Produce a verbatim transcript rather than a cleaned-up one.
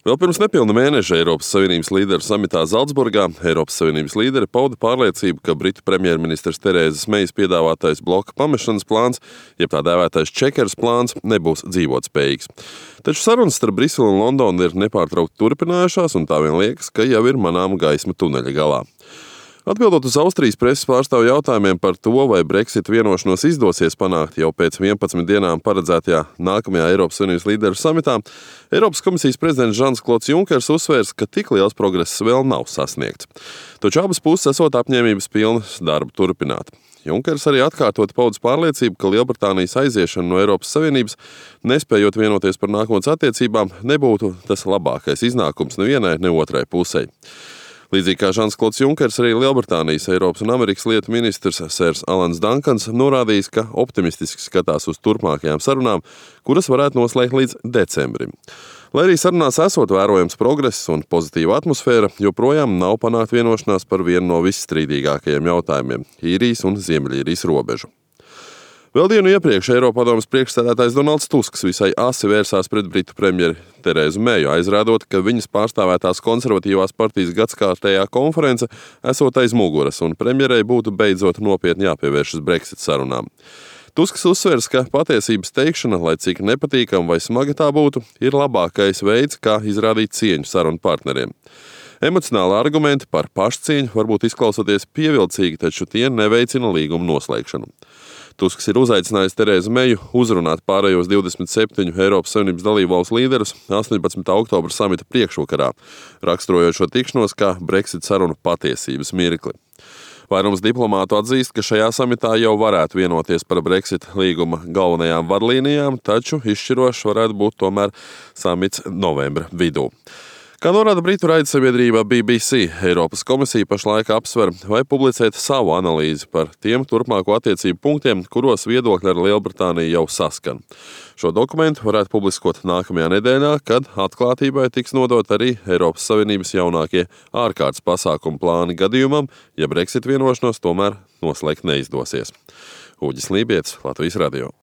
Vēl pirms nepilna mēneša Eiropas Savienības līderu samitā Zalcburgā Eiropas Savienības līderi pauda pārliecību, ka Britu premjerministres Terēzes Meijas piedāvātais bloka pamešanas plāns, jeb tā dēvētais čekeras plāns, nebūs dzīvotspējīgs. Taču sarunas starp Briseli un Londonu ir nepārtraukti turpinājušās, un tā vien liekas, ka jau ir manāma gaisma tuneļa galā. Atbildot uz Austrijas preses pārstāvju jautājumiem par to, vai Brexit vienošanos izdosies panākt jau pēc vienpadsmit dienām paredzētajā nākamajā Eiropas Savienības līderu samitā, Eiropas komisijas prezidents Žans-Klods Junkers uzsvērs, ka tik liels progress vēl nav sasniegts. Taču abas puses esot apņēmības pilnas darbu turpināt. Junkers arī atkārtot paudis pārliecību, ka Lielbritānijas aiziešana no Eiropas Savienības, nespējot vienoties par nākotnes attiecībām, nebūtu tas labākais iznākums nevienai, ne otrai pusei. Līdzīgi kā Žans-Klods Junkers, arī Lielbritānijas, Eiropas un Amerikas lietu ministrs Sērs Alans Dankans norādījis, ka optimistiski skatās uz turpmākajām sarunām, kuras varētu noslēgt līdz decembrim. Lai arī sarunās esot vērojams progress un pozitīva atmosfēra, joprojām nav panākt vienošanās par vienu no visstrīdīgākajiem jautājumiem – Īrijas un Ziemeļīrijas robežu. Vēl dienu iepriekš Eiropadomes priekšsēdētājs Donalds Tusks visai asi vērsās pret Britu premjeri Terēzu Meiju, aizrādot, ka viņas pārstāvētās konservatīvās partijas gadskārtējā konference esot aiz muguras, un premjerei būtu beidzot nopietni jāpievēršas Brexit sarunām. Tusks uzsvers, ka patiesības teikšana, lai cik nepatīkam vai smaga tā būtu, ir labākais veids, kā izrādīt cieņu sarunu partneriem. Emocionāli argumenti par pašcieņu varbūt izklausoties pievilcīgi, taču tie neveicina līguma noslēgšanu. Tusks ir uzaicinājis Terēzu Meiju uzrunāt pārējos divdesmit septiņu Eiropas Savienības dalībvalstu līderus astoņpadsmitā oktobra samita priekšvakarā, raksturojot šo tikšanos kā Brexit sarunu patiesības mirkli. Vairums diplomātu atzīst, ka šajā samitā jau varētu vienoties par Brexit līguma galvenajām vadlīnijām, taču izšķirošs varētu būt tomēr samits novembra vidū. Kā norāda Britu raidsabiedrība B B C, Eiropas komisija pašlaik apsver, vai publicēt savu analīzi par tiem turpmāko attiecību punktiem, kuros viedokļi ar Lielbritāniju jau saskan. Šo dokumentu varētu publiskot nākamajā nedēļā, kad atklātībai tiks nodot arī Eiropas Savienības jaunākie ārkārtas pasākumu plāni gadījumam, ja Brexit vienošanos tomēr noslēgt neizdosies. Uģis Lībietis, Latvijas radio.